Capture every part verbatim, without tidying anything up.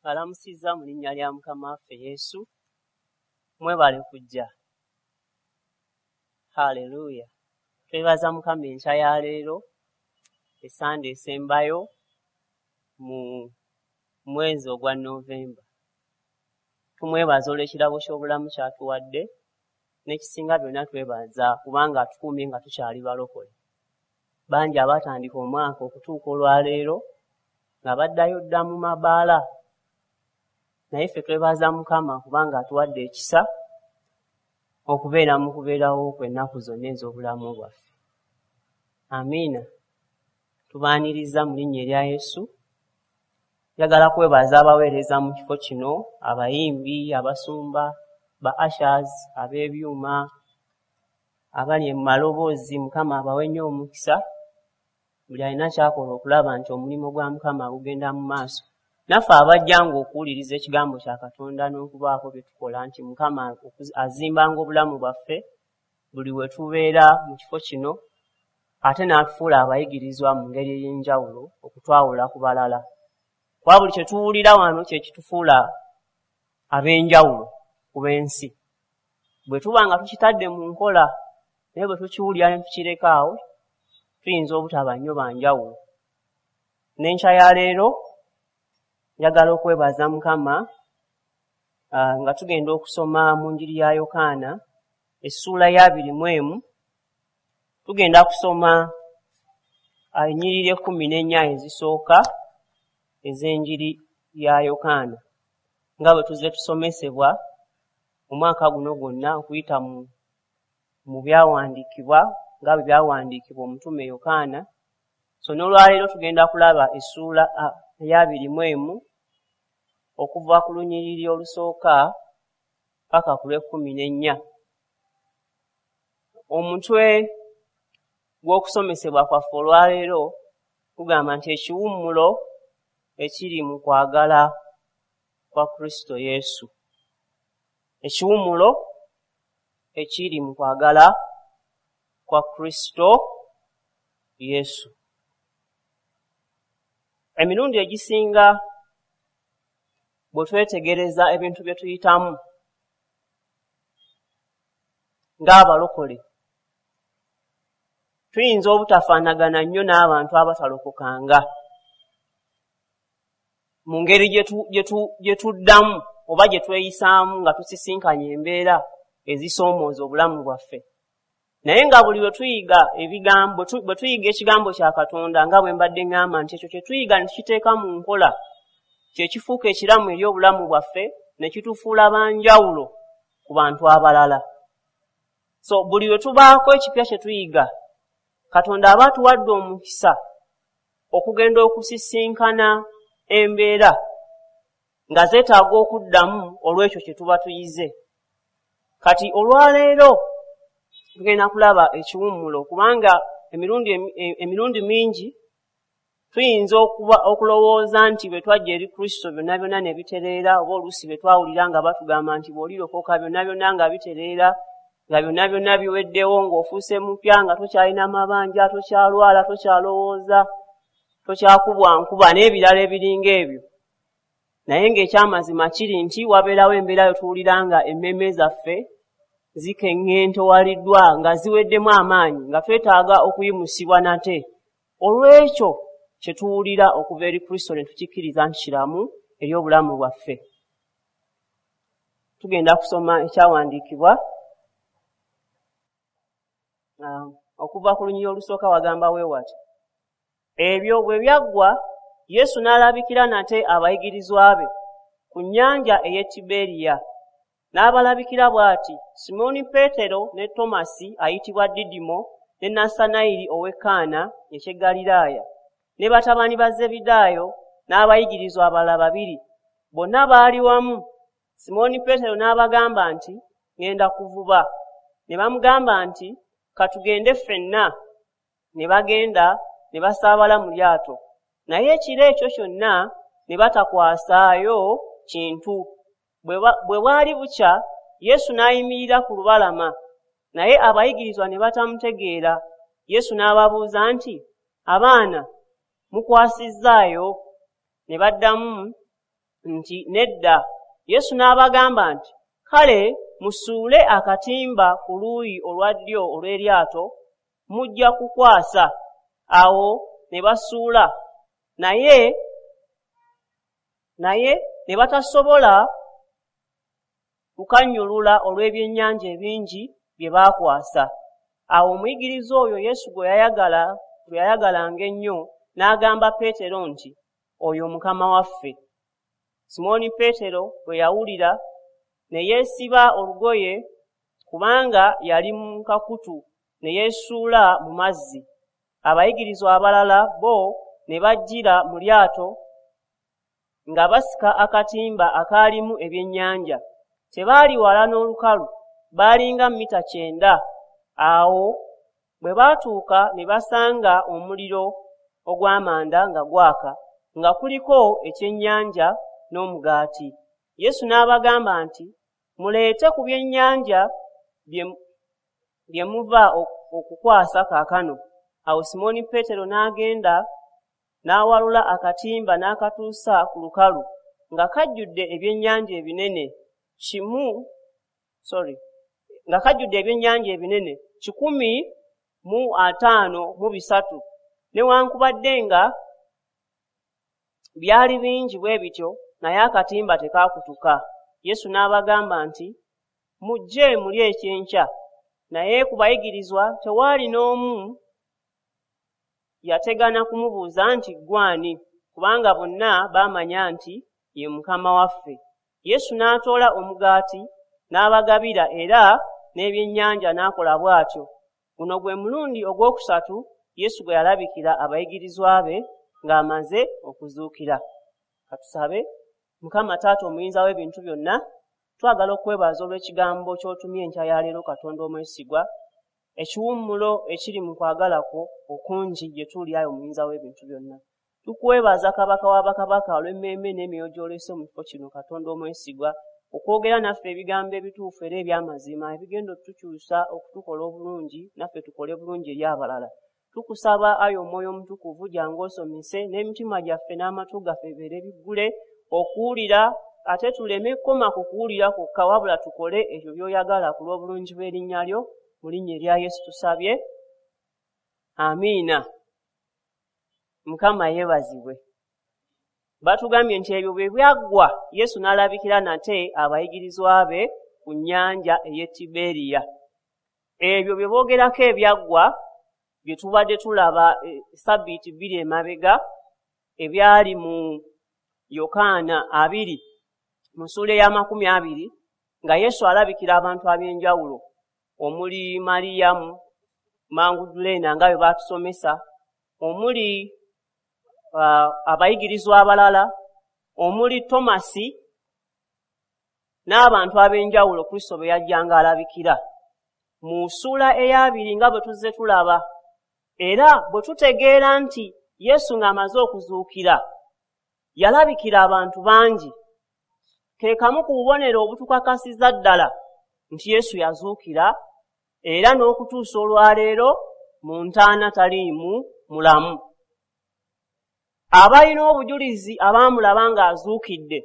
Alamusizza mu linnya lya Mukama waffe Yesu. Mwebale kujja. Haleluya. Twebaza Mukama enkya ya leero, essande esembayo mu mwezi ogwa Novemba. Tumwebaza olw'ekirabo ky'obulamu ky'atuwadde, n'ekisinga byonna twebaza kubanga atukuumye nga tukyali balokole. Bangi abaatandika omwaka okutuuka olwaleero nga baddayo dda mu mabaala. Naye ffe twebaza Mukama kubanga atuwadde ekisa okubeera mu kubeerawo kwe ennaku zonna ez'obulamu bwaffe. Amiina. Tubaaniriza mu linnya erya Yesu. Njagala kwebaza abaweereza mu kifo kino, abayimbi, abasumba, ba ushers, ab'ebyuma, abali mu maloboozi. Mukama abawe nnyo omukisa. Buli alina ky'akola okulaba nti omulimu gwa Mukama gugenda mu maaso. Naffe abajjanga okuwuliriza ekigambo kya Katonda n'okubaako bye tukola nti Mukama azimbanga obulamu bwaffe buli we tubeera mu kifo kino, ate n'atufuula abayigirizwa mu ngeri ey'enjawulo okutwawula ku balala. Kuba buli kye tuwulira wano kye kitufuula ab'enjawulo ku b'ensi. Bwe tuba nga tukitadde mu nkola, naye bwe tukiwulira ne tukireka awo, tuyinza obutaba nnyo ba njawulo. N'enkya ya leero njagala okwebaza Mukama nga tugenda okusoma mu Njiri ya Yokaana essuula ya abiri mu emu. Tugenda kusoma ennyiriri ekkumi n'ennya ezisooka ez'Enjiri ya Yokaana, nga bwe tuzze tusomesebwa omwaka guno gwonna okuyita mu, mu byawandiikibwa nga bwe byawandiikibwa omutume Yokaana. So n'olwaleero tugenda kulaba essuula eya abiri mu emu okuva ku lunyiriri olusooka paka ku lw'ekkumi n'ennya. Omutwe gw'okusomesebwa kwaffe olwaleero gugamba nti ekiwummulo ekiri mu kwagala kwa Kristo Yesu. Ekiwummulo ekiri mu kwagala kwa Kristo Yesu. Emirundi egisinga bwe twetegereza ebintu bye tuyitamu ng'abalokole, tuyinza obutafaanagana nnyo n'abantu abatalokokanga mu ngeri gye tuddamu oba gye tweyisaamu nga tusisinkanye embeera ezisoomooza obulamu bwaffe. Naye nga buli lwe tuyiga ebigambo, bwe tuyiga ekigambo kya Katonda, nga bwe mbadde ŋŋamba nti ekyo kye tuyiga ne tukiteeka mu nkola, kye kifuuka ekiramu eri obulamu bwaffe ne kitufuula ba njawulo ku bantu abalala. So buli lwe tubaako ekipya kye tuyiga, Katonda aba atuwadde omukisa okugenda okusisinkana embeera nga zeetaaga okuddamu olw'ekyo kye tuba tuyize. Kati olwaleero tugenda kulaba ekiwummulo, kubanga emirundi emirundi mingi tuyinza okuba okulowooza nti bwe twajja eri Kristo byonna byonna ne bitereera, oba oluusi bwe twawulira nga batugamba nti bw'olirokoka byonna byonna nga bitereera, nga byonna byonna biweddewo, ng'ofuuse mupya, nga tokyalina mabanja, tokyalwala, tokyalowooza, tokyakubwa nkuba n'ebirala ebiringa ebyo. Naye ng'ekyamazima kiri nti wabeerawo embeera yo tuwulira nga emmeeme zaffe zikeŋŋentowaliddwa, nga ziweddemu amaanyi, nga twetaaga okuyimusibwa nate olw'ekyo kye tuwulira okuva eri Kristo ne tukikkiriza nti kiramu eri obulamu bwaffe. Tugenda kusoma ekyawandiikibwa okuva ku lunyiriri olusooka wagamba weewati. Ebyo bwe byaggwa, Yesu n'alabikira nate abayigirizwa be ku nnyanja ey'e Tiberiya. N'abalabikira bw'ati: Simooni Peetero ne Tomasi ayitibwa Didimo ne Nassanayiri ow'e Kaana eky'e Ggaliraaya ne batabani ba Zebedaayo n'abayigirizwa abalala babiri. Bonna baali wamu. Simooni Peetero n'abagamba nti, ŋŋenda kuvuba. Ne bamugamba nti, ka tugende ffenna. Ne bagenda ne basaabala mu lyato. Naye ekiro ekyo kyonna ne batakwasaayo kintu. Bwe bwali bukya, Yesu n'ayimirira ku lubalama, naye abayigirizwa ne batamutegeera. Yesu n'ababuuza nti, abaana, mukwasizzaayo? Ne baddamu nti, "Nedda." Yesu n'abagamba nti, "Kale musuule akatimba ku luuyi olwa ddyo olw'eryato, mujja kukwasa." Awo ne basuula, naye naye ne batasobola kukannyulula olw'ebyennyanja ebingi bye baakwasa. Awo omuyigiriza oyo Yesu gwe yayagala gwe yayagalanga ennyo n'agamba Peetero nti, "Oyo Mukama waffe." Simooni Peetero bwe yawulira ne yeesiba olugoye, kubanga yali mu kakutu, ne yeesuula mu mazzi. Abayigirizwa abalala bo ne bajjira mu lyato nga basika akatimba akaalimu ebyennyanja. Tebaali wala n'olukalu, baalinga mita kyenda. Awo bwe baatuuka ne basanga omuliro ogw'amanda nga gwaka, nga kuliko ekyennyanja n'omugaati. Yesu n'abagamba nti, "Muleete ku byennyanja bye muva okukwasa kaakano." Awo Simooni Peetero n'agenda n'awalula akatimba n'akatuusa ku lukalu, nga kajjudde ebyennyanja ebinene kimu sorry nga kajjudde ebyennyanja ebinene kikumi mu ataano mu bisatu. Newankubadde nga byali bingi bwe bityo, naye akatimba tekaakutuka. Yesu n'abagamba nti, "Mujje mulye ekyenkya." Naye ku bayigirizwa tewaali n'omu yategana kumubuuza nti, "Ggwe ani?" kubanga bonna baamanya nti ye Mukama waffe. Yesu n'atoola omugaati n'abagabira, era n'ebyennyanja n'akola bw'atyo. Guno gwe mulundi ogwokusatu Yesu gwe yalabikira abayigirizwa be ng'amaze okuzuukira. Katusabe. Mukama Taata omuyinza w'ebintu byonna, twagala okwebaza olw'ekigambo ky'otumye enkya ya leero. Katonda omwesigwa, ekiwummulo ekiri mu kwagala kwo okungi gye tuli, ayi omuyinza w'ebintu byonna. Tukwebaza, Kabaka wa bakabaka, olw'emmeeme n'emyoyo gy'olese mu kifo kino, Katonda omwesigwa, okwogera naffe ebigambo ebituufu era eby'amazima ebigenda otutukyusa, okutukola obulungi, naffe tukole bulungi eri abalala. Tukusaba, ayi Omwoyo Omutukuvu, jangu osomese n'emitima gyaffe n'amatu gaffe bibeere biggule okuwulira, ate tuleme kukoma ku kuwulira kwokka, wabula tukole ebyo by'oyagala ku lw'obulungi bw'erinnya lyo. Mu linnya erya Yesu tusabye, amiina. Mukama yeebazibwe. Batugambye nti ebyo bwe byaggwa, Yesu n'alabikira nate abayigirizwa be ku nnyanja ey'e Tiberiya. Ebyo bye boogerako ebyaggwa bye tubadde tulaba sabbiiti bbiri emabega, ebyali mu Yokaana abiri mu ssuula ey'amakumi abiri, nga Yesu alabikira abantu ab'enjawulo omuli Mariyamu Manguduleena nga bwe baatusomesa, omuli uh, abayigirizwa abalala, omuli Tomasi n'abantu ab'enjawulo Kristo bwe yajjanga alabikira. Mu ssuula ey'abiri, nga bwe tuzze tulaba era bwe tutegeera nti Yesu ng'amaze okuzuukira yalabikira abantu bangi, ke kamu ku bubonero obutukakasiza ddala nti Yesu yazuukira, era n'okutuusa olwaleero mu ntaana taliimu, mulamu. Abalina obujulizi abaamulaba ng'azuukidde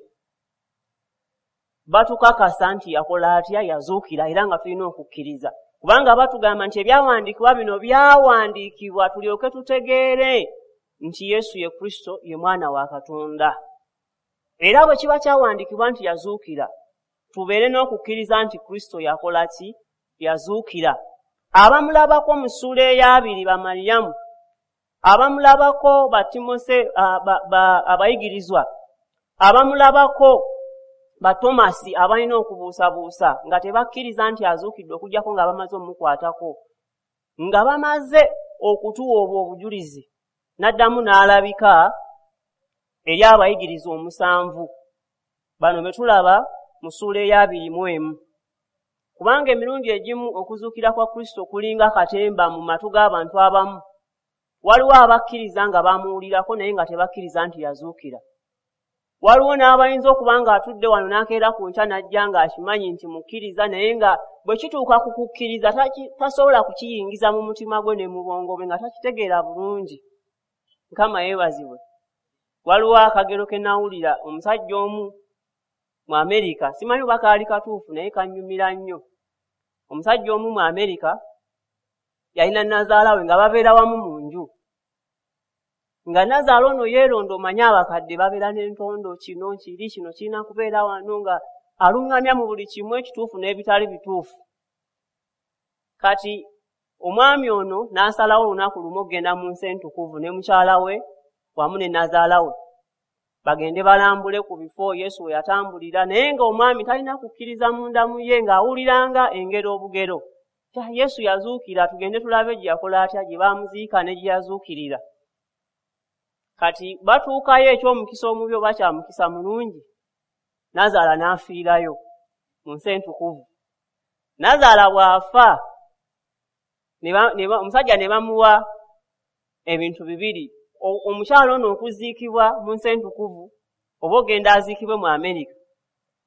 batukakasa nti yakola atya? Yazuukira. Era nga tulina okukkiriza, kubanga batugamba nti ebyawandiikibwa bino byawandiikibwa tulyoke tutegeere nti Yesu ye Kristo, ye Mwana wa Katonda. Era bwe kiba kyawandiikibwa nti yazuukira, tubeere n'okukkiriza nti Kristo yakola ki? Yazuukira. Abamulabako mu ssuula ey'abiri ba Mariyamu, abamulabako ba Timose, abayigirizwa abamulabako ba Tomasi, abalina okubuusabuusa nga tebakkiriza nti azuukidde okuggyako nga bamaze omukwatako, nga bamaze okutuwa obwo obujulizi, n'addamu n'alabika eri abayigirizwa omusanvu bano be tulaba mu ssuula ey'abiri mu emu. Kubanga emirundi egimu okuzuukira kwa Kristo kulinga katemba mu matu g'abantu abamu. Waliwo abakkiriza nga bamuwulirako, naye nga tebakkiriza nti yazuukira. Waliwo n'abayinza okuba ng'atudde wano n'akeera ku nkya n'ajja ng'akimanyi nti mukkiriza, naye nga bwe kituuka ku kukkiriza tasobola kukiyingiza mu mutima gwe ne mu bwongo bwe, nga takitegeera bulungi. Mukama yeebazibwe. Waliwo akagero ke nawulira omusajja omu mu Amerika, simanyi oba kaali katuufu naye kannyumira nnyo. Omusajja omu mu Amerika yalina nnazaala we nga babeera wamu mu nju. Nga nnazaala ono yeeronda, omanyi abakadde babeera n'entondo, kino kiri, kino kirina kubeera wano, nga aluŋŋamya mu buli kimu ekituufu n'ebitali bituufu. Kati omwami ono n'asalawo olunaku lumu okugenda mu nsi entukuvu ne mukyala we wamu ne nnazaala we, bagende balambule ku bifo Yesu we yatambulira. Naye ng'omwami talina kukkiriza munda mu ye, ng'awuliranga engero obugero. Yesu yazuukira, tugende tulabe gye yakola atya, gye baamuziika ne gye yazuukirira. Kati batuukayo, eky'omukisa omubi oba kya mukisa mulungi, nnazaala n'afiirayo mu nsi entukuvu. Nnazaala bw'afa, omusajja ne bamuwa ebintu bibiri: omukyala ono okuziikibwa mu nsi entukuvu oba ogenda aziikibwe mu Amerika.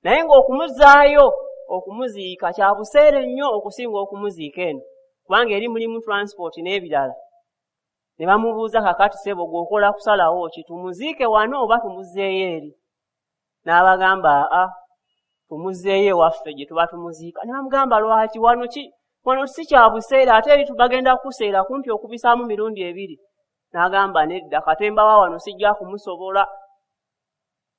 Naye ng'okumuzaayo okumuziika kya buseere nnyo okusinga okumuziika eno, kubanga eri mulimu transport n'ebirala. Ne bamubuuza, kakati ssebo gw'okola kusalawo ki, tumuziike wano oba tumuzzeeyo eri? N'abagamba, aa, tumuzzeeyo ewaffe gye tuba tumuziika. Ne bamugamba, lwaki? Wano ki, wano si kya buseere, ate eri tubagenda kukuseera kumpi okubisaamu mirundi ebiri. N'agamba, nedda, katemba wa wano sijja kumusobola.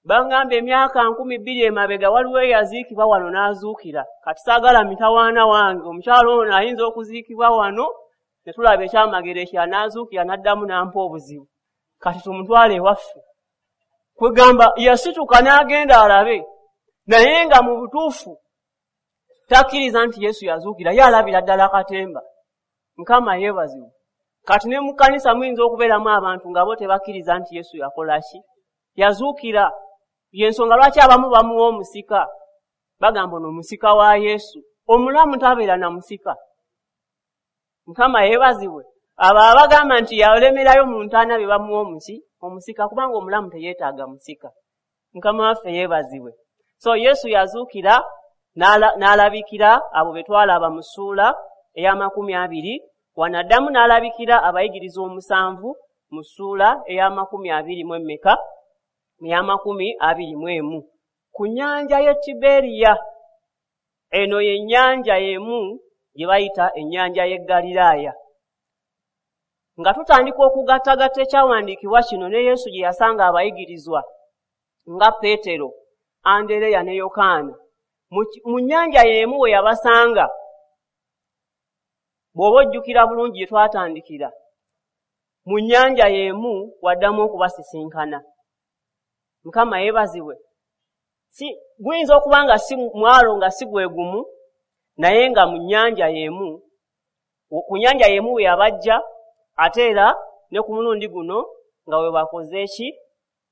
Bangamba emyaka nkumi bbiri emabega waliwo eyaziikibwa wano n'azuukira. Kati saagala mitawaana wange, omukyalo ono ayinza okuziikibwa wano ne tulaba ekyamagero ekirala n'azuukira n'addamu n'ampa obuzibu. Kati tumutwale ewaffe. Kwegamba yasituka n'agenda alabe, naye nga mu butuufu takkiriza nti Yesu yazuukira, ye alabira ddala katemba. Mukama yeebazibwe. Kati ne mu kkanisa muyinza okubeeramu abantu nga bo tebakkiriza nti Yesu yakola ki? Yazuukira. Y'ensonga lwaki abamu bamuwa omusika. Bagamba ono musika wa Yesu. Omulamu tabeera na musika. Mukama yeebazibwe. Abo abagamba nti yalemerayo mu ntaana be bamuwa omuki? Omusika, kubanga omulamu teyeetaaga musika. Mukama waffe yeebazibwe. So Yesu yazuukira n'alabikira abo be twalaba mu ssuula ey'amakumi abiri. Wano addamu n'alabikira abayigiriza omusanvu mu ssuula ey'amakumi abiri mu emmeka? Ey'amakumi abiri mu emu. Ku nnyanja y'e Tiberiya. Eno y'ennyanja y'emu gye bayita ennyanja y'e Ggaliraaya. Nga tutandika okugattagatta ekyawandiikibwa kino ne Yesu gye yasanga abayigirizwa nga Peetero, Andereya ne Yokaana. Mu nnyanja y'emu we yabasanga, bw'oba ojjukira bulungi gye twatandikira, mu nnyanja y'emu waddamu okubasisinkana. Mukama yeebazibwe. Si guyinza okuba nga si mwalo nga si gwe gumu, naye nga mu nnyanja y'emu, ku nnyanja y'emu we yabajja, ate era ne ku mulundi guno nga we bakoze ki?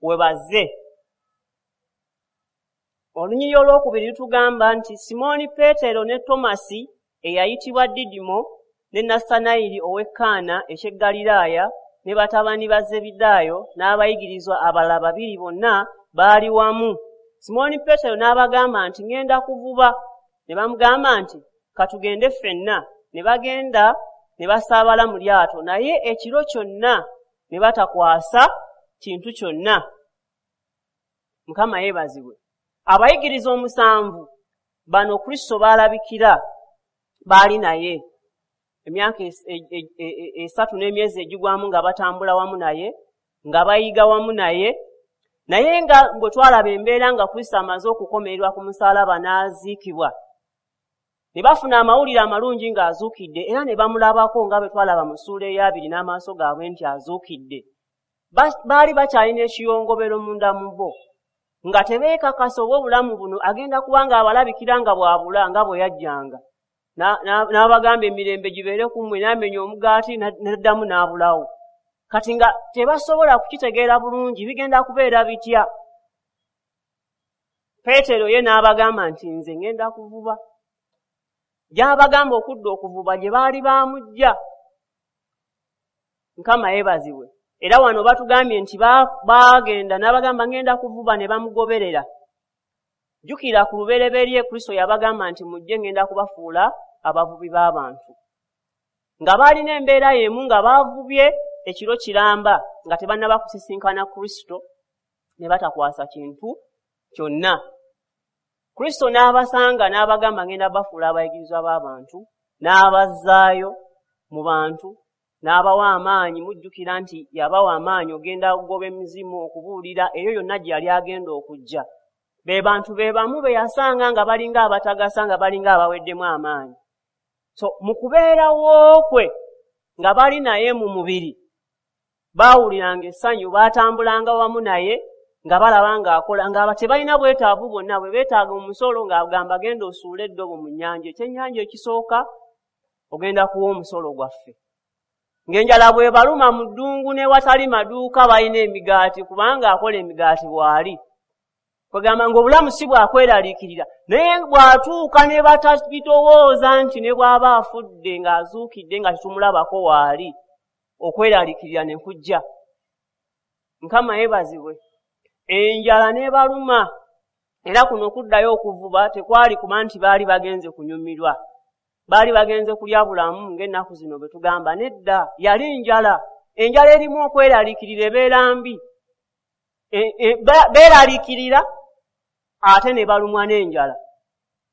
We bazze. Olunyiriri olwokubiri lutugamba nti Simooni Peetero ne Tomasi eyayitibwa Didimo ne Nassanayiri ow'e Kaana eky'e Ggaliraaya ne batabani ba Zebedaayo n'abayigirizwa abalala babiri bonna baali wamu. Simooni Peetero n'abagamba nti ŋŋenda kuvuba. Ne bamugamba nti katugende ffenna. Ne bagenda ne basaabala mu lyato, naye ekiro kyonna ne batakwasa kintu kyonna. Mukama yeebazibwe. Abayigiriza omusanvu bano Kristo baalabikira baali naye emyaka esatu n'emyezi egigwamu nga batambula wamu naye, nga bayiga wamu naye, naye nga bwe twalaba embeera nga Kristo amaze okukomererwa ku musaalaba n'aziikibwa, ne bafuna amawulire amalungi ng'azuukidde, era ne bamulabako nga bwe twalaba mu ssuula ey'abiri n'amaaso gaabwe nti azuukidde. Baali bakyalina ekiyongobero munda mu bo, nga tebeekakasa oba obulamu buno agenda kuba ng'abalabikira nga bw'abula nga bwe yajjanga. N'abagamba emirembe gibeere ku mmwe, n'amenya omugaati n'addamu n'abulawo. Kati nga tebasobola kukitegeera bulungi bigenda kubeera bitya. Peetero ye n'abagamba nti nze ŋŋenda kuvuba. Gy'abagamba okudda okuvuba gye baali baamujja. Mukama yeebazibwe. Era wano batugambye nti baagenda n'abagamba ŋŋenda kuvuba ne bamugoberera. Jjukira ku lubereberye Kristo yabagamba nti mujje ŋŋenda kubafuula abavubi b'abantu. Nga baalina embeera y'emu nga baavubye ekiro kiramba nga tebannaba kusisinkana Kristo, Ne batakwasa kintu kyonna. Kristo n'abasanga n'abagamba ngenda bafuula abayigirizwa b'abantu, n'abazzaayo mu bantu, n'abawa amaanyi. Mujjukira nti yabawa amaanyi ogenda okugoba emizimu, okubuulira eyo yonna gye yali agenda okujja. Be bantu be bamu be yasanga nga balinga abatagasa, nga balinga abaweddemu amaanyi. So mu kubeerawo kwe nga bali naye mu mubiri, baawuliranga essanyu, baatambulanga wamu naye nga balaba ng'akola, nga tebalina bwetaavu bwonna. Bwe beetaaga omusolo ng'agamba genda osuule eddobo mu nnyanja, ekyennyanja ekisooka ogenda kuwa omusolo gwaffe. Ng'enjala bw'ebaluma mu ddungu n'ewatali maduuka balina emigaati, kubanga akola emigaati bw'ali. Kwegamba ng'obulamu si bwakweraliikirira, naye bw'atuuka ne batabitowooza nti ne bw'aba afudde ng'azuukidde nga tetumulabako waali, okweraliikirira ne kujja. Mukama yeebazibwe. Enjala n'ebaluma, era kuno okuddayo okuvuba tekwali kuba nti baali bagenze kunyumirwa, baali bagenze kulya bulamu ng'ennaku zino bwe tugamba. Nedda, yali njala. Enjala erimu okweraliikirira ebeera mbi. E, e, beeraliikirira ate ne balumwa n'enjala.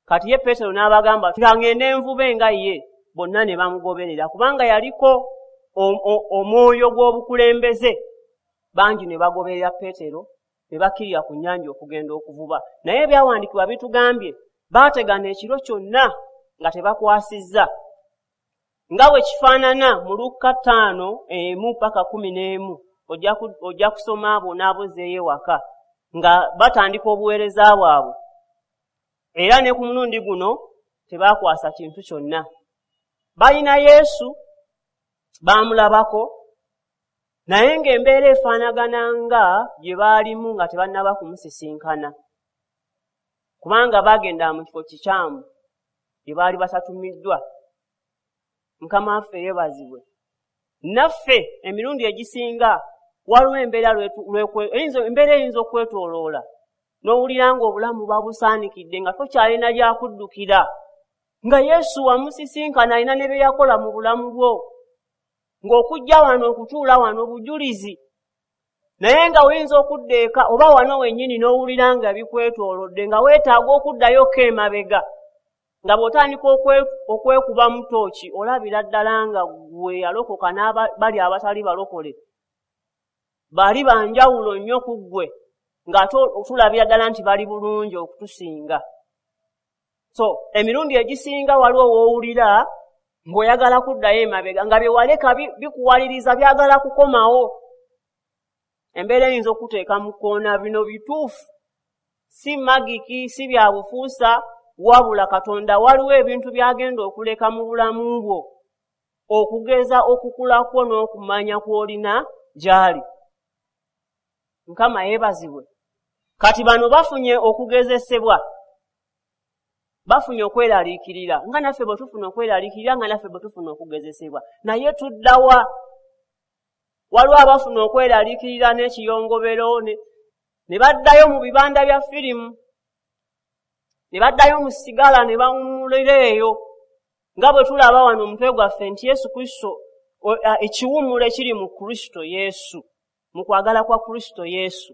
Kati ye Peetero n'abagamba ngende nvube nga ye, bonna ne bamugoberera kubanga yaliko omwoyo gw'obukulembeze. Bangi ne bagoberera Peetero ne bakkirira ku nnyanja okugenda okuvuba. Naye ebyawandiikibwa bitugambye baategana ekiro kyonna nga tebakwasizza, nga bwe kifaanana mu Lukka ttaano emu paka kumi n'emu. Ojja kusoma abo n'abozeeyo ewaka nga batandika obuweereza bwabwe. Era ne ku mulundi guno tebakwasa kintu kyonna. Balina Yesu, baamulabako, naye ng'embeera efaanagana nga gye baalimu nga tebannaba kumusisinkana, kubanga baagenda mu kifo kikyamu gye baali batatumiddwa. Mukama waffe yeebazibwe. Naffe emirundi egisinga waliwo embeera embeera eyinza okwetooloola n'owulira ng'obulamu babusaanikidde nga tokyalina gyakuddukira, nga Yesu wamusisinkana alina ne bye yakola mu bulamu bwo, ng'okujja wano okutuula wano bujulizi. Naye nga oyinza okudda eka oba wano wennyini n'owulira nga bikwetoolodde, nga weetaaga okuddayoko emabega, nga bw'otandika okwekuba mu ttooki olabira ddala nga gwe yalokoka n'abali abatali balokole bali banjawulo nnyo ku ggwe, ng'ate tulabira ddala nti bali bulungi okutusinga. So emirundi egisinga waliwo w'owulira ng'oyagala kuddayo emabega, nga bye waleka bikuwaliriza byagala kukomawo. Embeera eyinza okuteeka mu kkoona. Bino bituufu, si magiki, si bya bufuusa, wabula Katonda waliwo ebintu by'agenda okuleka mu bulamu bwo okugeza okukula kwo n'okumanya kw'olina gy'ali. Mukama yeebazibwe. Kati bano bafunye okugezesebwa, bafunye okweraliikirira, nga naffe bwe tufuna okweraliikirira, nga naffe bwe tufuna okugezesebwa. Naye tuddawa? Waliwo abafuna okweraliikirira n'ekiyongobero ne, ne baddayo mu bibanda bya firimu, ne baddayo mu sigala ne bawummulira eyo, nga bwe tulaba wano omutwe gwaffe nti Yesu Kristo, ekiwummulo ekiri mu Kristo Yesu, mu kwagala kwa Kristo Yesu.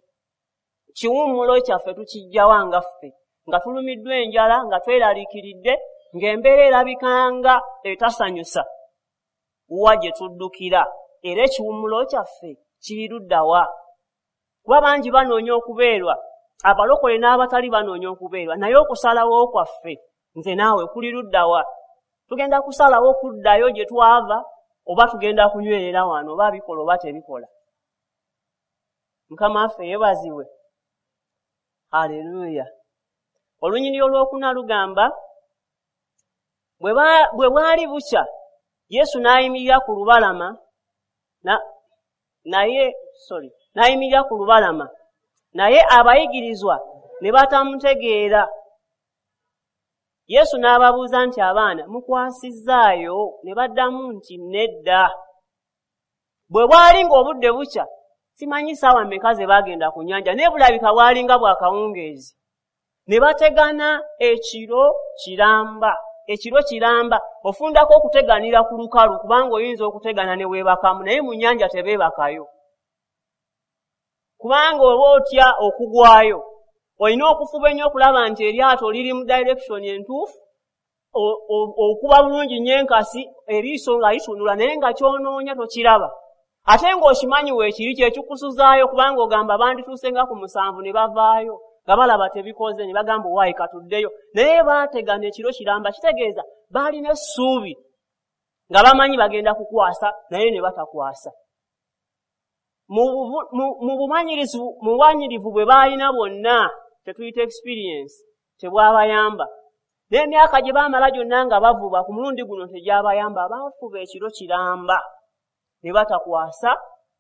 Kiwummulo kyaffe tukiggyawa nga ffe nga tulumiddwa enjala, nga tweraliikiridde, ng'embeera erabika nga etasanyusa? Wa gye tuddukira? Era ekiwummulo kyaffe kiri ludda wa? Kuba bangi banoonya okubeerwa, abalokole n'abatali banoonya okubeerwa, naye okusalawo kwaffe nze naawe kuli ludda wa? Tugenda kusalawo kuddayo gye twava, oba tugenda kunywerera wano, oba bikola oba tebikola? Mukama waffe yeebazibwe. Haleluya. Olunyiriri olwokuna lugamba, bwe bwali bukya Yesu n'ayimirira ku lubalama na, naye sorry n'ayimirira ku lubalama, naye abayigirizwa ne batamutegeera. Yesu n'ababuuza nti, abaana mukwasizzaayo? Ne baddamu nti nedda. Bwe bwali ng'obudde bukya, simanyi ssaawa mmeka ze baagenda ku nnyanja, naye bulabika bwalinga bwakawungeezi. Ne bategana ekiro kiramba, ekiro kiramba. Ofundako okuteganira ku lukalu, kubanga oyinza okutegana ne weebakamu, naye mu nnyanja tebeebakayo. Kubanga oba otya okugwayo, olina okufuba ennyo okulaba nti eryato liri mu direction entuufu, okuba bulungi nnyo enkasi, eriiso nga litunula naye nga ky'onoonya tokiraba. Ate ng'okimanyi weekiri kyekikusuzaayo, kubanga ogamba bandituuse nga ku musanvu ne bavaayo nga balaba tebikoze, ne bagamba owaayi katuddeyo. Naye baategana ekiro kiramba, kitegeeza baalina essuubi nga bamanyi bagenda kukwasa, naye ne batakwasa. Mu bumanyirivu bwe baalina bwonna, tetuyita experience, tebwabayamba. N'emyaka gye baamala gyonna nga bavuba, ku mulundi guno tegyabayamba. Baafuba ekiro kiramba ne batakwasa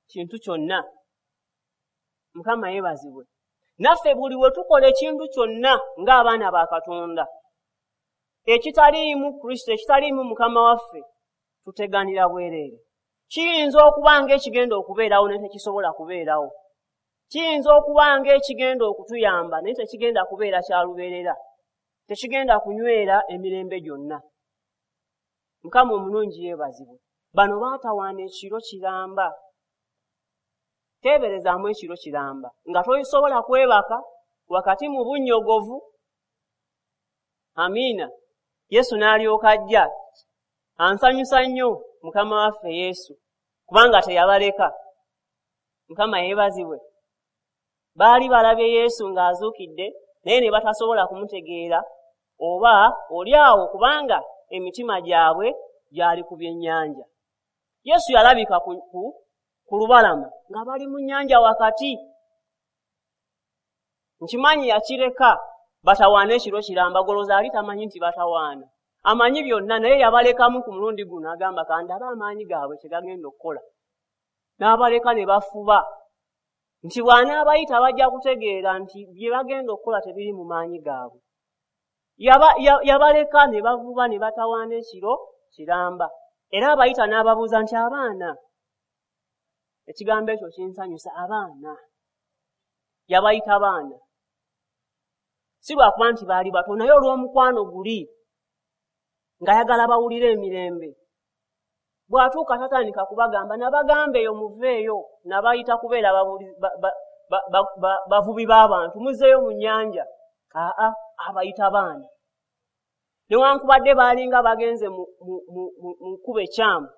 kintu kyonna. Mukama yeebazibwe. Naffe buli we tukola ekintu kyonna ng'abaana ba Katonda ekitaliimu Kristo, ekitaliimu Mukama waffe, tuteganira bwereere. Kiyinza okuba ng'ekigenda okubeerawo naye tekisobola kubeerawo. Kiyinza okuba ng'ekigenda okutuyamba naye tekigenda kubeera kya lubeerera, tekigenda kunywera emirembe gyonna. Mukama omulungi yeebazibwe. Bano baatawaana ekiro kiramba. Teeberezaamu ekiro kiramba nga tosobola kwebaka wakati mu bunnyogovu. Amiina. Yesu n'alyoka ajja. Ansanyusa nnyo Mukama waffe Yesu, kubanga teyabaleka. Mukama yeebazibwe. Baali balabye Yesu ng'azuukidde, naye ne batasobola kumutegeera oba oli awo, kubanga emitima gyabwe gyali ku byennyanja. Yesu yalabika ku, ku, ku lubalama nga bali mu nnyanja wakati. Nkimanyi yakireka batawaana ekiro kiramba, golooza ali tamanyi nti batawaana. Amanyi byonna, naye yabalekamu ku mulundi guno, agamba kandabe amaanyi gaabwe kye gagenda okukola. N'abaleka ne bafuba nti bw'anaabayita bajja kutegeera nti bye bagenda okukola tebiri mu maanyi gaabwe. Yabaleka ne bavuba ne batawaana ekiro kiramba. Era abayita n'ababuuza nti abaana, ekigambo ekyo kinsanyusa, abaana. Yabayita baana, si lwakuba nti baali bato, naye olw'omukwano guli ng'ayagala bawulire emirembe. Bw'atuuka tatandika kubagamba, nabagamba eyo muveeyo, nabayita kubeera bavubi b'abantu, muzzeeyo mu nnyanja. Aa, abayita baana. Newankubadde baalinga bagenze mu kkubo ekyamu,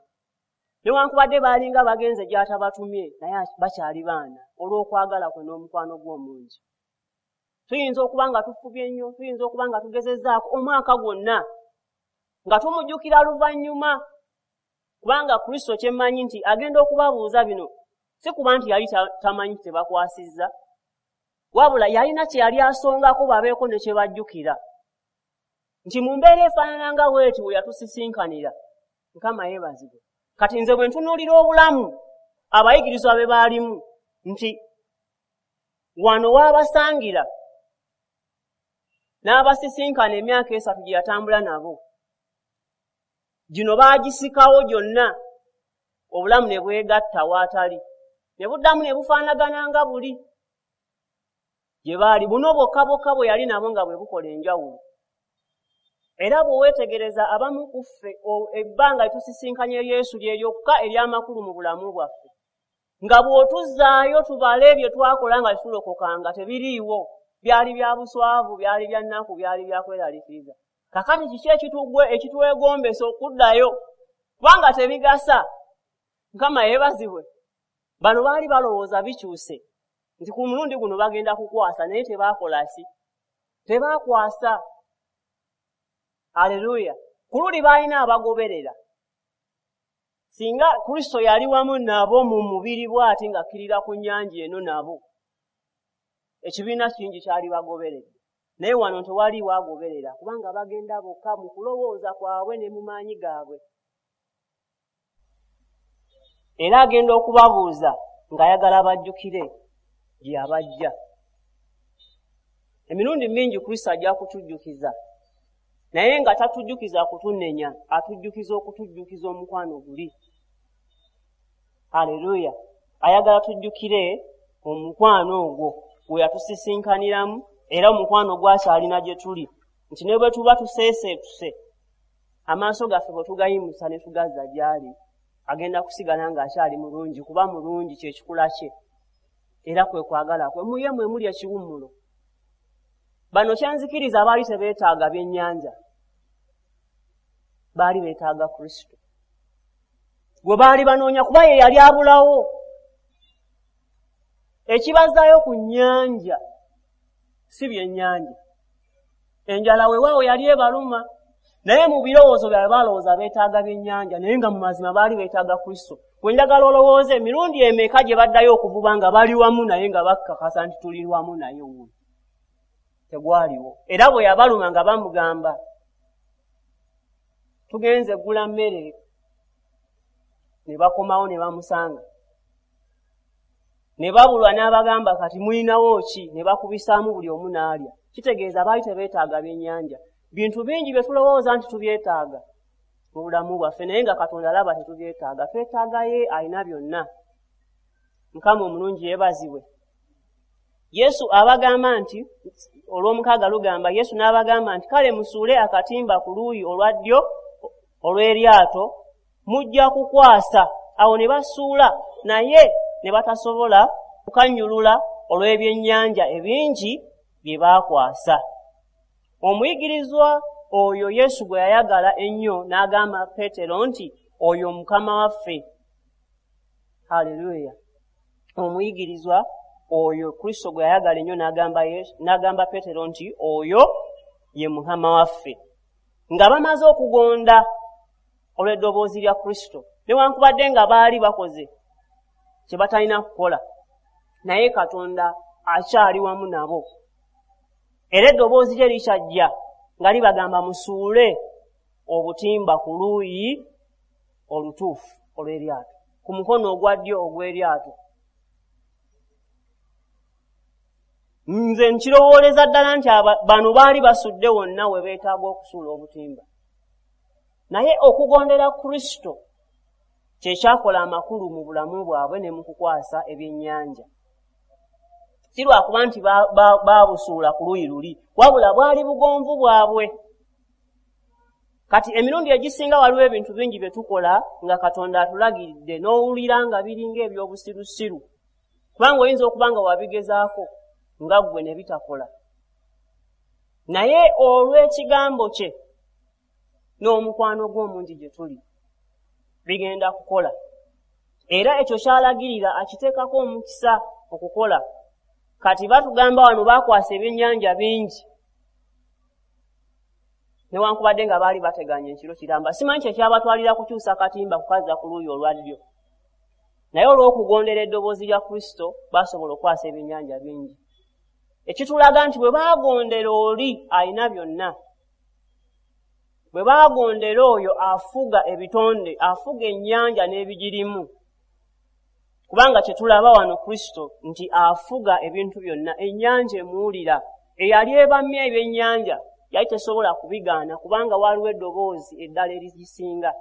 newankubadde baalinga bagenze gy'atabatumye, naye bakyali baana olw'okwagala kwe n'omukwano gw'omungi. Tuyinza okuba nga tufubye nnyo, tuyinza okuba nga tugezezzaako omwaka gwonna nga tumujjukira luvannyuma, kubanga Kristo kyemmanyi nti agenda okubabuuza bino, si kuba nti yali tamanyi tebakwasizza, wabula yalina kye yali asongako babeeko ne kye bajjukira nti mu mbeera efaanana nga bw'eti we yatusisinkanira. Mukama yeebazibwe. Kati nze bwe ntunuulira obulamu abayigirizwa be baalimu, nti wano waabasangira n'abasisinkana emyaka esatu gye yatambula nabo, gino baagisikawo gyonna, obulamu ne bwegatta waatali, ne buddamu ne bufaanagana nga buli gye baali. Buno bwokka bwokka bwe yali nabo nga bwe bukola enjawulo. Era bwe weetegereza abamu ku ffe ebbanga tusisinkanye Yesu lye lyokka ery'amakulu mu bulamu bwaffe, nga bw'otuzzaayo tubale bye twakola nga tulokokanga tebiriiwo, byali bya buswavu, byali bya nnaku, byali bya kweraliikiriza. Kakati kiki ekitugwe ekitwegombesa okuddayo, kubanga tebigasa? Mukama yeebazibwe. Bano baali balowooza bikyuse nti ku mulundi guno bagenda kukwasa, naye tebaakola ki? Tebaakwasa. Aleluya. Ku luli baalina abagoberera. Singa Kristo yali wamu nabo mu mubiri bw'ati ng'akkirira ku nnyanja eno nabo, ekibiina kingi kyali bagoberedde. Naye wano tewaliiwo agoberera, kubanga bagenda bokka mu kulowooza kwabwe ne mu maanyi gaabwe. Era agenda okubabuuza ng'ayagala bajjukire gye yabajja. Emirundi mingi Kristo ajja kutujjukiza, naye nga tatujjukiza kutunenya, atujjukiza okutujjukiza omukwano guli. Aleluya. Ayagala tujjukire omukwano ogwo gwe yatusisinkaniramu, era omukwano gwakyalina gye tuli, nti ne bwe tuba tuseeseetuse, amaaso gaffe bwe tugayimusa ne tugazza gy'ali, agenda kusigala ng'akyali mulungi, kuba mulungi kye kikula kye. Era kwe kwagala kwe, mu ye mwe muli ekiwummulo. Bano kyanzikiriza baali tebeetaaga byennyanja, baali beetaaga Kristo gwe baali banoonya, kuba ye yali abulawo. Ekibazaayo ku nnyanja si byennyanja, enjala weewaawo yali ebaluma, naye mu birowoozo byabwe balowooza beetaaga byennyanja, naye nga mu mazima baali beetaaga Kristo. Gwe njagala olowooze emirundi emeka gye baddayo okuvuba nga bali wamu naye, nga bakkakasa nti tuli wamu naye wuno. Tegwaliwo. Era bwe yabaluma nga bamugamba, tugenze gula mmere, ne bakomawo ne bamusanga, ne babulwa n'abagamba kati mulinawo ki, ne bakubisaamu buli omu n'alya. Kitegeeza baali tebeetaaga byennyanja. Bintu bingi bye tulowooza nti tubyetaaga mu bulamu bwaffe, naye nga Katonda alaba tetubyetaaga. Twetaaga ye alina byonna. Mukama omulungi yeebazibwe. Yesu abagamba nti, olw'omukaaga lugamba, Yesu n'abagamba nti, kale musuule akatimba ku luuyi olwa ddyo olw'eryato, mujja kukwasa. Awo ne basuula, naye ne batasobola kukannyulula olw'ebyennyanja ebingi bye baakwasa. Omuyigirizwa oyo Yesu gwe yayagala ennyo n'agamba Peetero nti, oyo Mukama waffe. Haleluya! Omuyigirizwa oyo Kristo gwe yayagala ennyo n'agamba Yesu, n'agamba Peetero nti, oyo ye Mukama waffe. Nga bamaze okugonda olw'eddoboozi lya Kristo, newankubadde nga baali bakoze kye batalina kukola, naye Katonda akyali wamu nabo. Era eddoboozi lye likyajja nga libagamba musuule obutimba ku luuyi olutuufu olw'eryato, ku mukono ogwa ddyo ogw'eryato. Nze nkirowooleza ddala nti bano baali basudde wonna we beetaaga okusuula obutimba, naye okugondera Kristo kye kyakola amakulu mu bulamu bwabwe ne mu kukwasa ebyennyanja. Si lwakuba nti baabusuula ku luuyi luli, wabula bwali bugonvu bwabwe. Kati emirundi egisinga waliwo ebintu bingi bye tukola nga Katonda atulagiridde, n'owulira nga biringa eby'obusirusiru, kubanga oyinza okuba nga wabigezaako nga ggwe ne bitakola. Naye olw'ekigambo kye n'omukwano gw'omungi gye tuli, bigenda kukola. Era ekyo kyalagirira akiteekako omukisa okukola. Kati batugamba wano baakwasa ebyennyanja bingi, newankubadde nga baali bateganye ekiro kiramba. Simanyi kye kyabatwalira kukyusa katimba kukazza ku luuyi olwa ddyo, naye olw'okugondera eddoboozi lya Kristo baasobola okukwasa ebyennyanja bingi. Ekitulaga nti bwe baagondera oli alina byonna, bwe baagondera oyo afuga ebitonde, afuga ennyanja n'ebigirimu, kubanga kye tulaba wano Kristo nti afuga ebintu byonna. Ennyanja emuwulira, eyali ebamya ebyennyanja yali tesobola kubigaana, kubanga waliwo eddoboozi eddala erigisinga.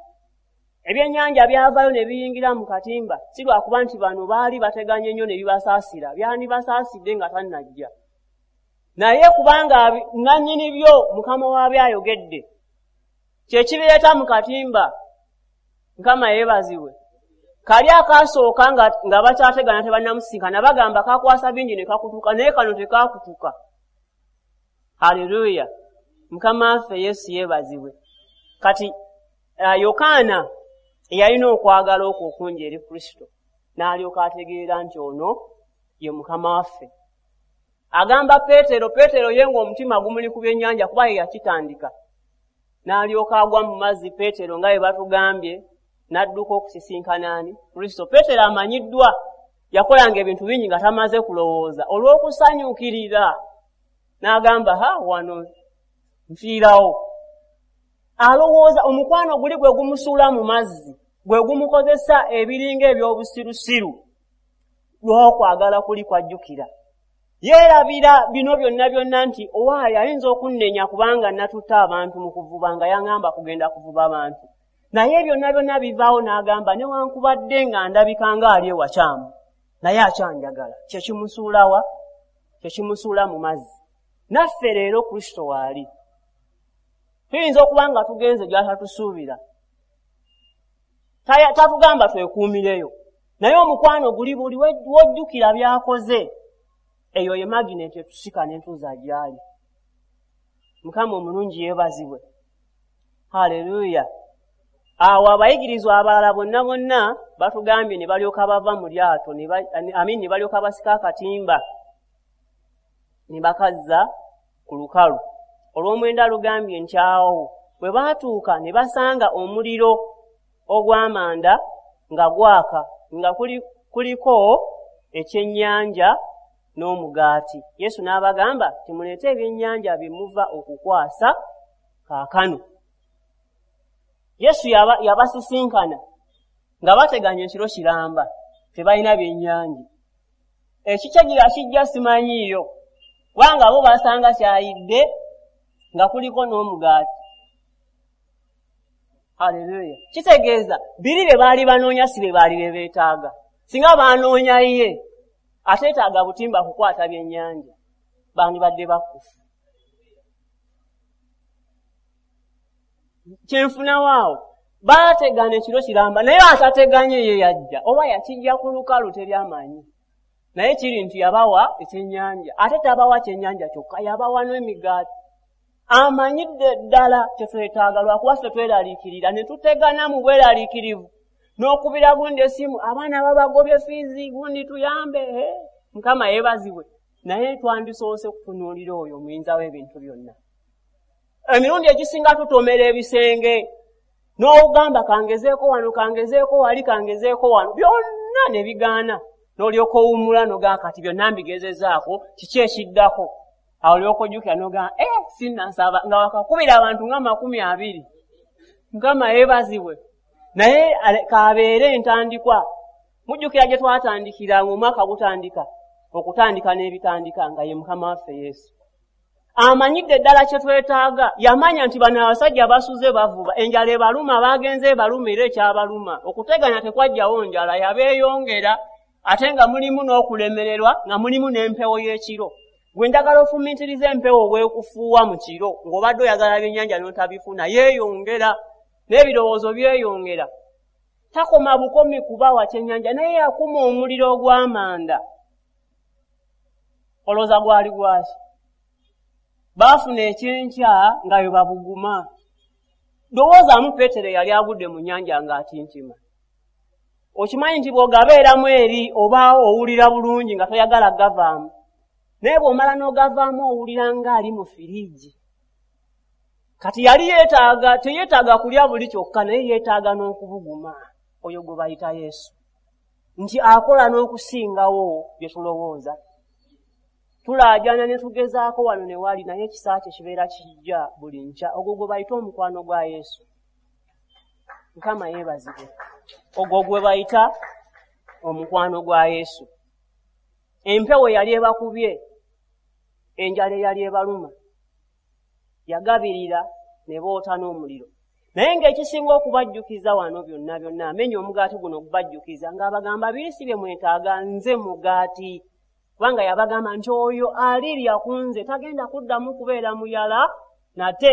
Ebyennyanja byavaayo ne biyingira mu katimba, si lwakuba nti bano baali bateganye nnyo ne bibasaasira, byandibasaasidde nga tannajja, naye kubanga nannyini byo Mukama waabyo ayogedde, kye kibireeta mu katimba. Mukama yeebazibwe. Kali akasooka nga, nga bakyategana tebannamusisinkana, bagamba kakwasa bingi ne kakutuka, naye kano tekakutuka. Haleluya! Mukama waffe Yesu yeebazibwe. Kati uh, Yokaana eyalina okwagala okwo okungi eri Kristo, n'alyoka ategeera nti ono ye Mukama waffe. Agamba Peetero, Peetero ye ng'omutima gumuli ku byennyanja kuba ye yakitandika, n'alyoka agwa mu mazzi. Peetero nga bwe batugambye n'adduka okusisinkana ani? Kristo. Peetero amanyiddwa yakolanga ebintu bingi nga tamaze kulowooza, olw'okusanyukirira n'agamba, ha, wano nfiirawo. Alowooza omukwano guli gwe gumusuula mu mazzi, gwe gumukozesa ebiringa eby'obusirusiru, lw'okwagala kuli kwajjukira. Yeerabira bino byonna byonna nti owaaye ayinza okunnenya kubanga natutte abantu mu kuvuba, nga yaŋŋamba kugenda kuvuba abantu. Naye byonna byonna bivaawo n'agamba, newankubadde nga ndabika ng'ali ewakyamu, naye akyanjagala. Kye kimusuulawa? Kye kimusuula mu mazzi. Naffe leero Kristo waali. Tuyinza okuba nga tugenze gy'atatusuubira. Tatugamba twekuumireyo, Naye omukwano guli buli wojjukira by'akoze, eyo ye magineti etusika n'entuuza gy'ali. Mukama omulungi yeebazibwe. Haleluya. Awo abayigirizwa abalala bonna bonna batugambye ne balyoka bava mu lyato, amin, ne balyoka basika akatimba ne bakazza ku lukalu. Olw'omwenda lugambye nti awo bwe baatuuka ne basanga omuliro ogw'amanda nga gwaka, nga kuliko ekyennyanja n'omugaati. Yesu n'abagamba nti muleete ebyennyanja bye muva okukwasa kaakano. Yesu yabasisinkana nga bateganya ekiro kiramba, tebalina byennyanja. Ekikyagira kijja simanyiiyo, kubanga bo basanga kyayidde nga kuliko n'omugaati. Haleluya. Kitegeeza biri bye baali banoonya si bye baali bye beetaaga. Singa banoonya ye, ateetaaga butimba kukwata byennyanja, bandibadde bakufu. Kyenfunawo awo, baategana ekiro kiramba, naye atateganye ye yajja, oba yakijja ku lukalu teryamanyi. Naye kiri nti yabawa ekyennyanja, ate tabawa kyennyanja kyokka, yabawa n'emigaati. Amanyidde ddala kyetwetaaga, lwakuba ffe tweraliikirira ne tutegana mu bweraliikirivu n'okubira gundi essimu, abaana babagobye fiizi, gundi tuyambe, Mukama yeebazibwe. Naye twandisoose kutunuulira oyo omuyinza w'ebintu byonna. Emirundi egisinga tutomera ebisenge n'ogamba kangezeeko wano, kangezeeko wali, kangezeeko wano, byonna ne bigaana. N'olyoka owummula n'ogamba kati byonna mbigezezaako, kiki ekiddako? Awo olyoka ojjukira n'ogamba eh, sinnasaba, nga wakakubira abantu nga makumi abiri. Mukama yeebazibwe. Naye kabeere entandikwa. Mujjukira gye twatandikira ng'omwaka gutandika, okutandika n'ebitandika nga ye Mukama waffe Yesu. Amanyidde ddala kye twetaaga. Yamanya nti bano abasajja basuze bavuba, enjala ebaluma, bagenze ebaluma era ekyabaluma. Okuteganya tekwajjawo njala, yabeeyongera, ate nga mulimu n'okulemererwa, nga mulimu n'empewo y'ekiro. Gwe njagala ofumiitiriza empewo bw'ekufuuwa mu kiro, ng'obadde oyagala byennyanja n'otabifuna, yeeyongera, n'ebirowoozo byeyongera. Takoma bukomi kubawa kyennyanja, naye yakuma omuliro ogw'amanda. Olowooza gwali gwaki? Baafuna ekyenkya nga bwe babuguma. Lowoozaamu Peetero yali agudde mu nnyanja ng'atintima. Okimanyi nti bw'ogabeeramu eri obaawo owulira bulungi nga toyagala gavaamu. Naye bw'omala n'ogavaamu owulira ng'ali mu firiigi. Kati yali yeetaaga, teyeetaaga kulya buli kyokka, naye yeetaaga n'okubuguma. Oyo gwe bayita Yesu. Nti akola n'okusingawo bye tulowooza. Tulaajana ne tugezaako wano ne wali, naye ekisa kye kibeera kijja buli nkya. Ogwo gwe bayita omukwano gwa Yesu. Mukama yeebazibwe. Ogwo gwe bayita omukwano gwa Yesu. Empewo yali ebakubye, enjala eyali ebaluma, yagabirira ne boota n'omuliro. Naye ng'ekisinga okubajjukiza wano byonna byonna, amenya omugaati guno okubajjukiza ng'abagamba biri si bye mwetaaga, nze mugaati. Kubanga yabagamba nti oyo alirya ku nze tagenda kuddamu kubeera muyala nate.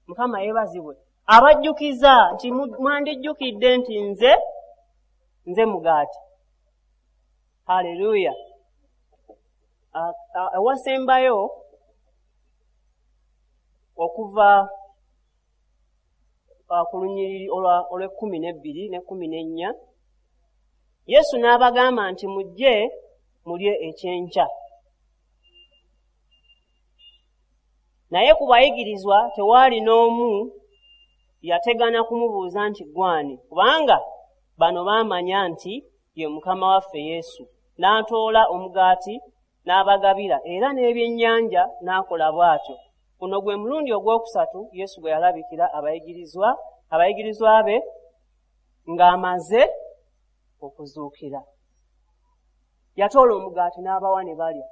Mukama yeebazibwe. Abajjukiza nti mwandijjukidde nti nze nze mugaati. Haleluya. Ewasembayo okuva ku lunyiriri olw'ekkumi n'ebbiri n'ekkumi n'ennya, Yesu n'abagamba nti mujje mulye ekyenkya. Naye ku bayigirizwa tewaali n'omu yategana kumubuuza nti gwani, kubanga bano baamanya nti ye Mukama waffe Yesu. N'atoola omugaati n'abagabira, era n'ebyennyanja n'akola bw'atyo. Guno gwe mulundi ogwokusatu Yesu gwe yalabikira abayigirizwa abayigirizwa be ng'amaze okuzuukira. Yatoola omugaati n'abawa ne balya,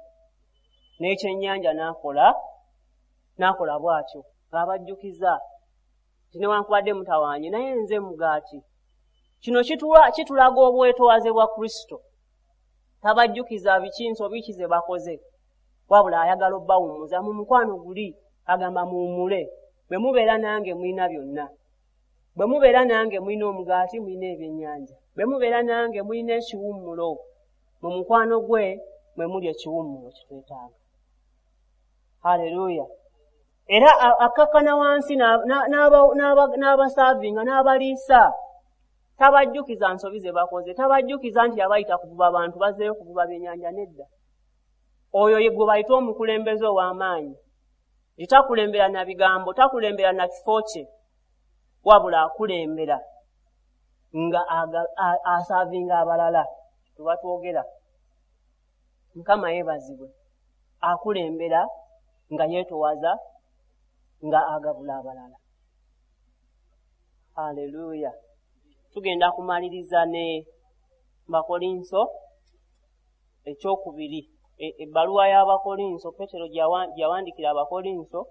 n'ekyennyanja n'akola n'akola bw'atyo, ng'abajjukiza nti newankubadde mutawaanye, naye nze mugaati. Kino kitulaga obwetoowaze bwa Kristo. Tabajjukiza biki nsobi ki ze bakoze, wabula ayagala obbawummuza. Mu mukwano guli agamba muwummule, bwe mubeera nange mulina byonna, bwe mubeera nange mulina omugaati, mulina ebyennyanja, Bwe mubeera nange mulina ekiwummulo. Mu mukwano gwe mwe muli ekiwummulo kitwetaaga. Haleluya. Era akkakkana wansi n'abasaavinga n'abaliisa. Tabajjukiza nsobi ze bakoze, tabajjukiza nti yabayita kuvuba bantu bazzeeyo kuvuba byennyanja nedda. Oyo ye gwe bayita omukulembeze ow'amaanyi. Takulembera na bigambo, takulembera na kifo kye, wabula akulembera nga asaavinga abalala. Tuba twogera. Mukama yeebazibwe. Akulembera nga yeetowaza, nga agabula abalala. Haleluya. Tugenda kumaliriza ne Bakolinso ekyokubiri, ebbaluwa y'Abakolinso Petero gye yawandiikira Abakolinso,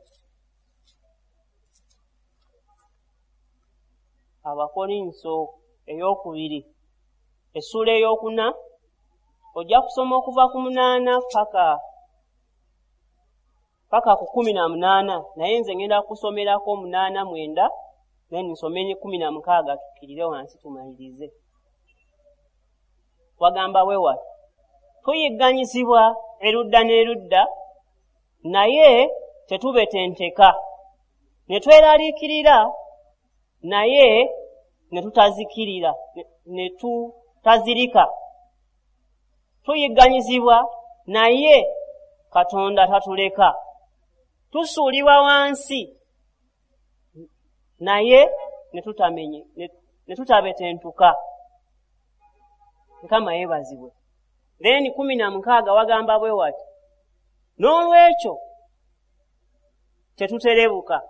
Abakolinso eyokubiri essuula eyokuna, ojja kusoma okuva ku munaana paka paka ku kumi na munaana, naye nze ngenda kusomerako munaana mwenda, then nsome kumi na mukaaga tukkirire wansi tumalirize. Wagamba bwe wati: tuyigganyizibwa erudda n'erudda, naye tetubetenteka, ne tweraliikirira, naye ne tutazikirira, ne tutazirika. Tuyigganyizibwa, naye Katonda tatuleka. Tusuulibwa wansi, naye ne tutamenye, ne tutabetentuka. Mukama yeebazibwe. Then kumi na mukaaga wagamba bwe wati: n'olwekyo tetuterebuka,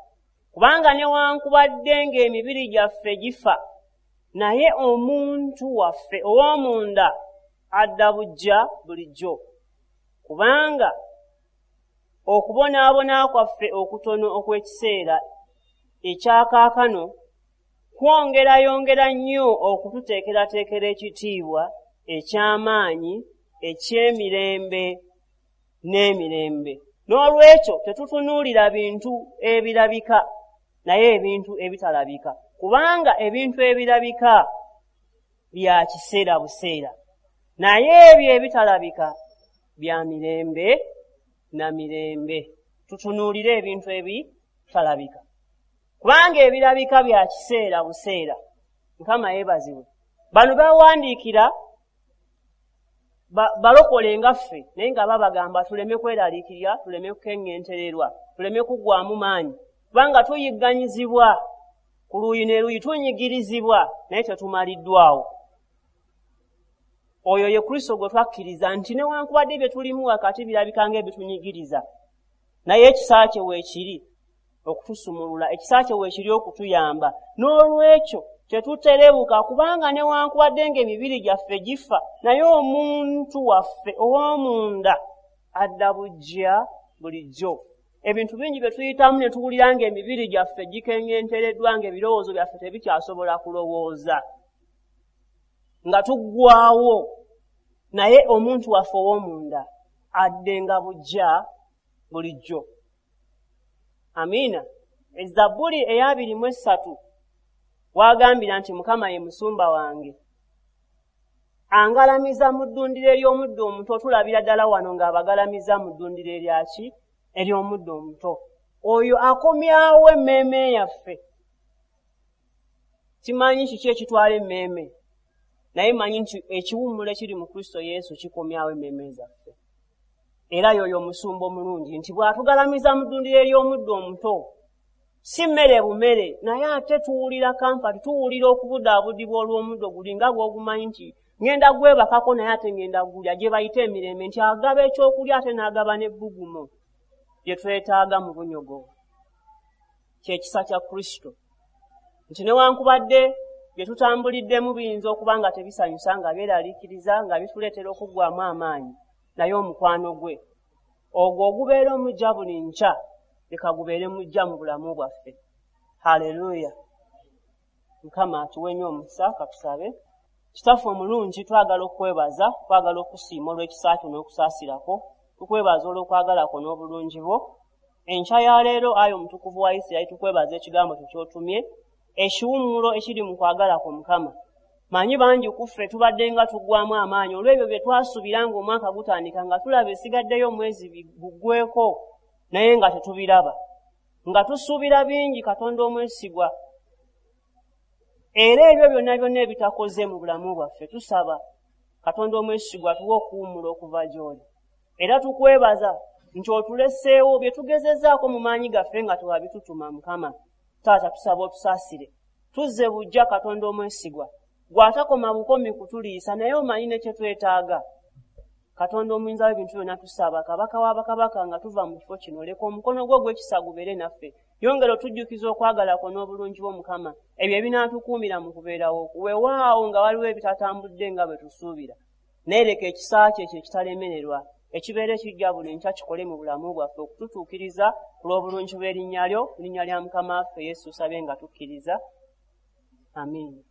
kubanga newankubadde ng'emibiri gyaffe gifa, naye omuntu waffe ow'omunda adda bujja bulijjo. Kubanga okubonaabona kwaffe okutono okw'ekiseera ekyakaakano kwongerayongera nnyo okututeekerateekera ekitiibwa eky'amaanyi eky'emirembe n'emirembe. N'olwekyo tetutunuulira bintu ebirabika, naye ebintu ebitalabika, kubanga ebintu ebirabika bya kiseera buseera, naye ebyo ebitalabika bya mirembe na mirembe. Tutunuulire ebintu ebitalabika, kubanga ebirabika bya kiseera buseera. Mukama yeebazibwe. Bano bawandiikira balokole nga ffe, naye nga babagamba tuleme kweraliikirira, tuleme kukeŋŋentererwa, tuleme kuggwaamu maanyi, kubanga tuyigganyizibwa ku luuyi ne luuyi, tunyigirizibwa, naye tetumaliddwawo. Oyo ye Kristo gwe twakkiriza nti newankubadde bye tulimu wakati birabika ng'ebitunyigiriza, naye ekisa kye weekiri okutusumulula, ekisa kye weekiri okutuyamba. N'olwekyo tetuterebuka, kubanga newankubadde ng'emibiri gyaffe gifa, naye omuntu waffe ow'omunda adda bujja bulijjo. Ebintu bingi bye tuyitamu ne tuwulira ng'emibiri gyaffe gikeŋŋentereddwa, ng'ebirowoozo byaffe tebikyasobola kulowooza, nga tuggwawo, naye omuntu waffe ow'omunda addenga bujja bulijjo. Amiina. Ezabbuli ey'abiri mu essatu wagambira nti Mukama ye musumba wange, angalamiza mu ddundiro ery'omuddo omuto. Tulabira ddala wano ng'abagalamiza mu ddundiro eryaki? Ery'omuddo omuto. Oyo akomyawo emmeeme yaffe. Simanyi kiki ekitwala emmeeme, naye manyi nti ekiwummulo ekiri mu Kristo Yesu kikomyawo emmeeme zaffe. Era y'oyo omusumba omulungi nti bw'atugalamiza mu ddundiro ery'omuddo omuto, si mmere bumere, naye ate tuwulira comfort, tuwulira okubudaabudibwa olw'omuddo guli, nga bw'ogumanyi nti ŋŋenda gwebakako, naye ate ŋŋenda gulya. Gye bayita emirembe, nti agaba ekyokulya ate n'agaba n'ebbugumo bye twetaaga mu bunyogovu. Kyekisa kya Kristo nti newankubadde bye tutambuliddemu biyinza okuba nga tebisanyusa, nga byeraliikiriza, nga bituleetera okuggwaamu amaanyi, naye omukwano gwe ogwo ogubeera omujja buli nkya, leka gubeere mujja mu bulamu bwaffe. Haleluya. Mukama atuwe nnyo omukisa. Katusabe. Kitaffe omulungi, twagala okukwebaza, twagala okusiima olw'ekisa kyo n'okusaasirako. Tukwebaza olw'okwagala kwo n'obulungi bwo. Enkya ya leero, ayi omutukuvu wa Isirayiri, tukwebaza ekigambo kyo ky'otumye, ekiwummulo ekiri mu kwagala kwo. Mukama. Manyi bangi ku ffe tubadde nga tuggwamu amaanyi olw'ebyo bye twasuubira ng'omwaka gutandika, nga tulaba esigaddeyo omwezi guggweko naye nga tetubiraba, nga tusuubira bingi. Katonda omwesigwa, era ebyo byonna byonna ebitakoze mu bulamu bwaffe, tusaba Katonda omwesigwa tuwe okuwummula okuva gy'oli. Era tukwebaza nti otuleseewo bye tugezezaako mu maanyi gaffe nga tewabitutuma. Mukama Taata, tusaba otusaasire, tuzze bujja. Katonda omwesigwa, gw'atakoma bukomi kutuliisa, naye omanyi ne kye twetaaga. Katonda omuyinza w'ebintu byonna, tusaba Kabaka w'abakabaka, nga tuva mu kifo kino, leka omukono gwo ogw'ekisa gubeere naffe. Yongera otujjukiza okwagala kwo n'obulungi bwo Mukama, ebyo ebinaatukuumira mu kubeerawo. Weewaawo nga waliwo ebitatambudde nga bwe tusuubira, naye leka ekisa kye ekyo ekitalemererwa ekibeera ekijja buli nkya kikole mu bulamu bwaffe okututuukiriza ku lw'obulungi bw'erinnya lyo. Mu linnya lya Mukama waffe Yesu tusabye nga tukkiriza, amiina.